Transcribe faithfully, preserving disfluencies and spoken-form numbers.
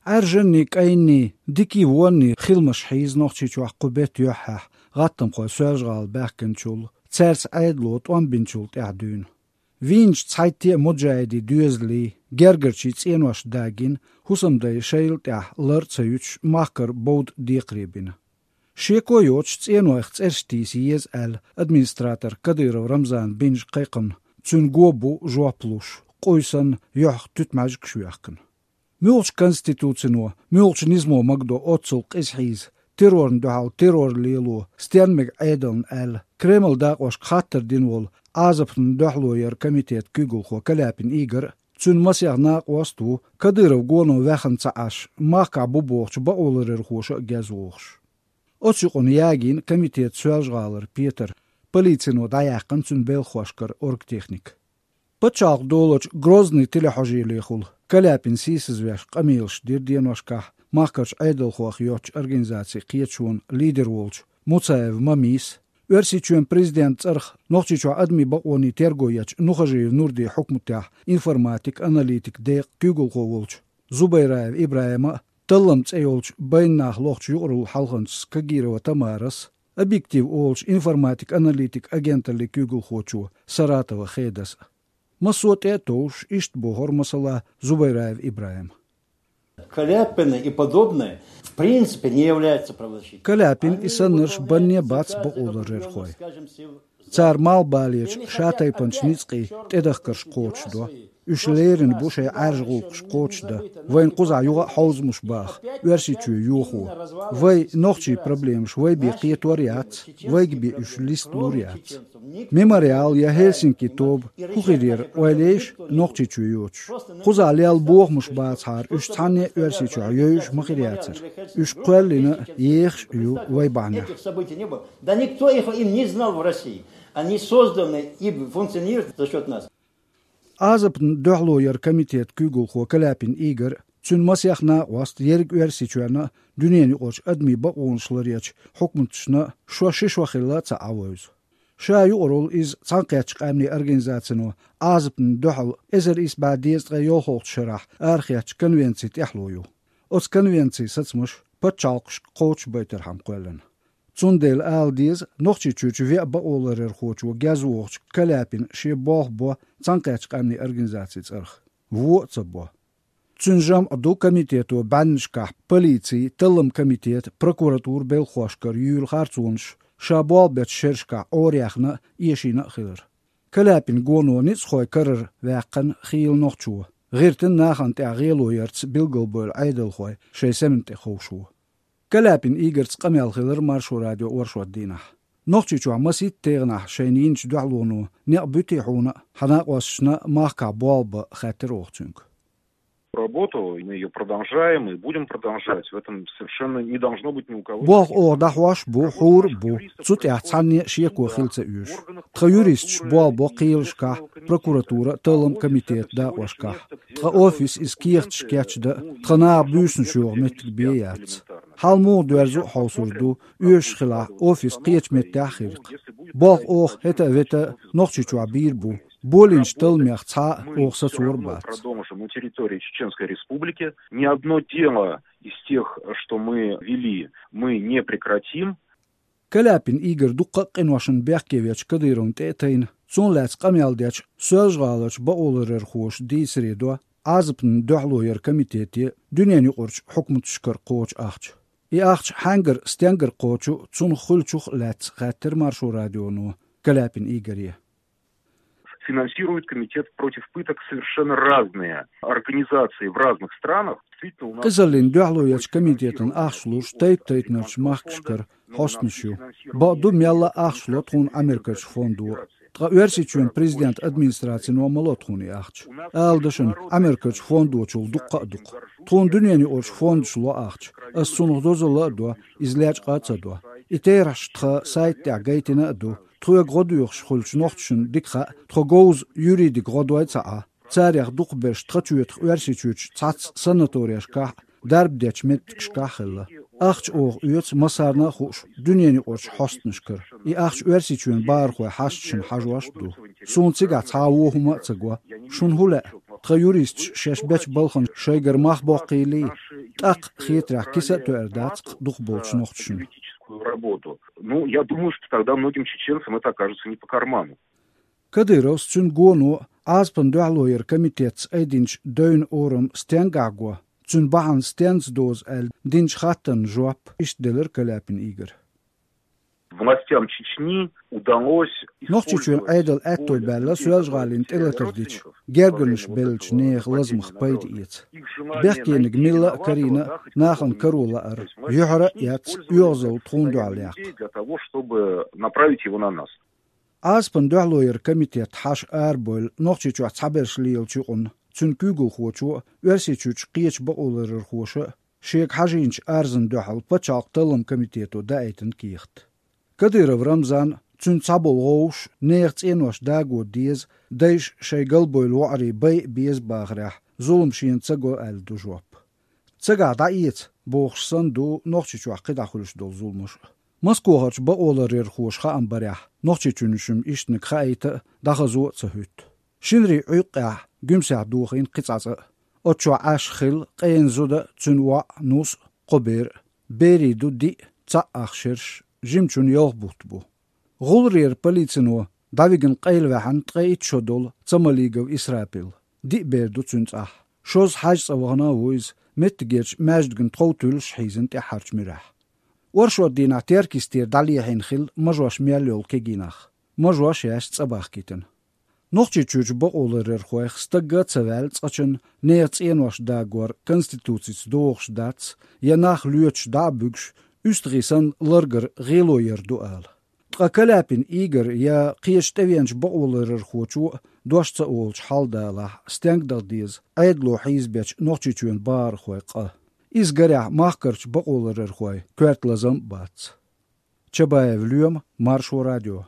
Ӏаьржанний, кӀайнний, дикий вонний хиламаш хьийза Нохчийчохь кху бетта юьххьехь гӀаттамхой Соьлжа-ГӀала баьхкинчул, цаьрца Ӏедало тӀом бинчул тӀаьхьа дуьйна. Вийначу цхьайтта а муджахӀидийн доьзалийн, гергарчийн цӀенош дагийна, хӀусамдайн шайла тӀехь лар а ца юьтуш, махкара бовда декхаре бина. Шеко йоцуш цӀенойх цӀераш тийса еза аьлла, администратор Кадыров Рамзана бинчу кхайкхамна цуьнан го бу жоп луш, къуй санна, юьхьах туьтмаьжгаш йоьхкина. Муьлхачу конституцино, муьлхачу низамо магадо оццул къиза хьийза, террорна дуьхьал террор лело, стенна мега Ӏедална аьлла, Кремлан дакъошка хаттар дина волу Ӏазапна дуьхьало яран комитетан куьйгалхо Каляпин Игор а, цуьнан масех накъост а ву, Кадыров гоно ваьхна ца Ӏаш, махкахь бу бохучу бакъоларъярхоша а геза вогӀуш. Оцу юкъана ягийна комитетан Соьлжа-ГӀалара петар, полицино дӀаяьккхина цуьнан белхахошкара оргтехника. Пачхьалкх долучу Грозный телехьожийлехула Каляпин сийсазвеш къамелаш дира деношкахь махкарчу Ӏедалхойх йоцучу организацийн кхеташонан лидер волчу Муцаев Мамис, Оьрсийчоьнан президентан цӀарах Нохчийчохь адамийн бакъонийн терго ечу Нухажиев Нурдин хьукматехь информатик-аналитик декъан куьйгалхо волчу Зубайраев ИбрахӀима а, Таллам цӀе йолчу Байна нах лохучу юкъараллин хьалханчас Кагирова Тамарас а, «Объектив» олучу информатик-аналитик агенталлин куьйгалхочо Саратова Хедас а. Массо а тӀе а товш, иштта бохура, масала, Зубайраев ИбрахӀима. Каляпины и подобные, в принципе, не являются правозащитниками. Каляпин и саннарш банне бац бакъоларъярхой. Цара малхбалерчу шатайпанчу ницкъийн тӀедахкарш кхочушдо. Уьш лерина бу шайн Ӏаьржа гӀуллакхаш кхочушдан, вайна кхузахь юха а хьовзамаш баха, Оьрсийчоь йохо. Вай нохчийн проблемаш вай бен кхетор а яц, вайга бен уьш листалур а яц. Мемориал я Хельсинки тоба хӀун хир яра, ойла ейша, Нохчийчоь йоцуш? Кхузахь лелла бохамаш бацахьара, уьш цхьанне а Оьрсийчохь йовзуш ма хир яцара. Уьш кхоьллина а, ехаш а ю вай бахьанехь. Этих событий не было. Да никто их и не знал в России. Они созданы и функционируют за счёт нас. Ӏазапна дуьхьало яран комитетан куьйгалхо Каляпин Игор а, цуьнан масех накъост а, ерриг Оьрсийчоьнна а, дуьненаюкъарчу адамийн бакъонаш ларъечу хьукматашна а шо ши шо хилла а ца Ӏан вевза. Ша юкъаралла иза Цхьаьнакхеттачу Къаьмнийн Организацино Ӏазапна дуьхьал эзар исс бӀе дезткъе йолхалгӀачу шарахь арахецначу конвенцин тӀехьало ю. Оцу конвенцин сацамаш пачхьалкхашка кхочушбайтархьама кхоьллина. Цундела ала деза, Нохчийчуьрчу веа бакъоларъярхочо геза вогӀучу Каляпина шен болх бо Цхьаьнакхеттачу Къаьмнийн Организацин цӀарах. Вон а ца бо. Цуьнан жамӀ ду комитето бӀеннашкахь полицин, талламан комитетан, прокуратуран белхахошкара юьйлу харцонаш, ша болх бечу шерашкахь Ӏораяьхна а, эшийна а хилар. Каляпин гоно ницкъахойн карара ваьккхина хийла нохчо, гӀиртина нахана тӀехь гӀело ярца билгалбевлла Ӏедалхой шайн семан тӀе ховшо. Каляпин Игорца къамел хилира Маршо радион оршот дийнахь. Нохчийчохь масийтта тайпанахь шайна йинчу дуьхьалонна некъ буьтий хьуна а, хьан накъосташна а махкахь болх бан, хаьттира оха цуьнга. Работу, мы её продолжаем и будем продолжать. В этом совершенно не должно быть ни у кого. Болх оха дӀахьош а бу, хьур а бу, цу тӀехь цхьанне а шеко хила ца оьшу. Тхан юристаш болх бо кхелашкахь, прокуратуран, талламан комитетан дакъошкахь. Тхан офис иза кехаташ кечдан а, тхан наха буьйсанаш йоху меттиг бен яц. Хьал муха доьрзу а хьовсур ду, оьшуш хилахь, офис кхечу меттехь а хир-кх. Болх оха хӀета а, вета а Нохчийчохь бийр бу. Болийначу талламех цхьа а оха сацор а бац. Продолжим на территории Чеченской Республики. Ни одно дело из тех, что мы вели, мы не прекратим. Каляпин Игор дуккха а къиношна бехке вечу Кадыровна тӀе а тайна, цунах лаьцна къамел дечу Соьлжа-ГӀаларчу бакъоларъярхоша дийцаре до Ӏазапна дуьхьало яран комитете а, дуьненаюкъарчу хьукматашкара кхочу ахча. И ахча хьаьнгара, стенгара кхочу, цунах хуьлучух а лаьцна хаьттира Маршо радионо Каляпин Игоре. Финансирует комитет против пыток совершенно разные организации в разных странах. Действительно, у нас... Къизаллина дуьхьало ечу комитетана ахча луш тайп-тайпанарчу махкашкара хьостанаш ю. Бакъду, мелла а ахча ло тхуна Америкерчу фондо. Ткъа Оьрсийчоьнан президентан администрацино ма ло тхуна и ахча. Ала дашна, Америкерчу фондочул дуккха а ду-кх. Тхуна дуьненаюкъарчу фондаш ло ахча. Ас цунах дозалла а до, иза лечкъа а ца до. И терахьаш тхан сайта тӀехь гайтина а ду. Тхоьга гӀо доьхуш хуьлучу нохчашна дика хаьа, тхо говза юридик гӀо дой ца Ӏа. Царех дукхахберш тхан чоьтах Оьрсийчуьрчу цхьацца санаторешкахь а, дарба дечу меттигашкахь а хилла. Ахча оха оьцу массарна а хууш дуьненаюкъарчу хьостанашкара. И ахча Оьрсийчоьнан бахархойн хьашташна хьажош а ду. Суна цигахь цхьа а вон хӀума а ца го. Шуна хӀун лаьа? Тха юристаш шаьш бечу балхана шайгара мах боккхийлий, тӀаккха хетарехь киса а тоьар дац кху дукхахболчу нохчашна. Ну, я думаю, что тогда многим чеченцам это окажется не по карману. Кадыровс, цуьнан гоно а, Ӏазапан дуьхьало яран комитетца айдинчу девнан орам стенгахь го, цуьнан бахьана стенца доза аьлла динчу хаттарна жоп иштта делира Каляпин Игора. Властям Чечни удалось... Нохчийчоьнан Ӏедална аьтто баьлла Соьлжа-ГӀалина тӀелатар дича, гергарнаш беллачу нехан лазамах пайда эца. Бехкениг милла а карийна а, нахана каро лаар, юьхьара а эцна, оьгӀазалла тхуна дуьхьал яккха. Для того, чтобы направить его на нас. Ӏазапан дуьхьало яран комитет хьаша арабевлла Нохчийчохь цхьаберш лелачу юкъанна, цуьнан куьйгалхочо а, Оьрсийчуьрчу кхечу бакъоларъярхоша а шега хьажийначу арзана дуьхьал пачхьалкхан талламан комитето даийтина кехат. Кадыров Рамзан а, цуьнан цхьаболу вовшаш а нехан цӀенош дагор деза, дайша шайн галбевлла воӀарий бай а беза бахарехь, зулам шена ца го аьлла ду жоп. Цигахь дӀаэца, бохуш санна, ду Нохчийчохь кхидӀа хуьлуш долу зуламаш а. Москохарчу бакъоларъярхоша хаам барехь, Нохчийчоьнан шимма ишттаниг хаийта а, дӀахазо а ца хӀуьтту. Шинарин Ӏуьйкъехь Гуьмсехь дохийна кхин цкъа цӀа а. Оцу чохь Ӏаш хилла къена зуда а, цуьнан воӀ а, нус а, кхо бер а. Берийн ду диъ, цхьаъ ах шераш, жимачун ялх бутт бу. ГӀулларъяран полицино дӀавигна къайлаваьхьна ткъе итт шо долу Цамалигов Исрапил. Диъ бер ду цуьнан цӀахь. Шозза хьаьжцӀа вахана а ву иза, меттигерчу маьждигна тхов туьллуш хьийзина тӀаьххьарчу муьрехь. Оршот дийнахь Теркйистера дӀалехьийна хилла мажош мел йолу кегий нах. Мажош яьш цӀа бахкийтина. Нохчийчуьрчу бакъоларъярхойх стагга а ца ваьлла цкъачунна нехан цӀенош дагор конституцица догӀуш дац, я нах лоьцуш дӀа а буьгуш, уьстагӀий санна ларгар гӀело яр ду ала. Ткъа Каляпин Игор я кхечу тӀевеанчу бакъоларъярхочо а дош ца олучу хьал далахь, стенга даха деза Ӏедало хьийзабечу Нохчийчоьнан бахархойн къа? Иза гарехь махкарчу бакъоларъярхойн коьрта лазам а бац. Чабаев Лоьма, Маршо радио.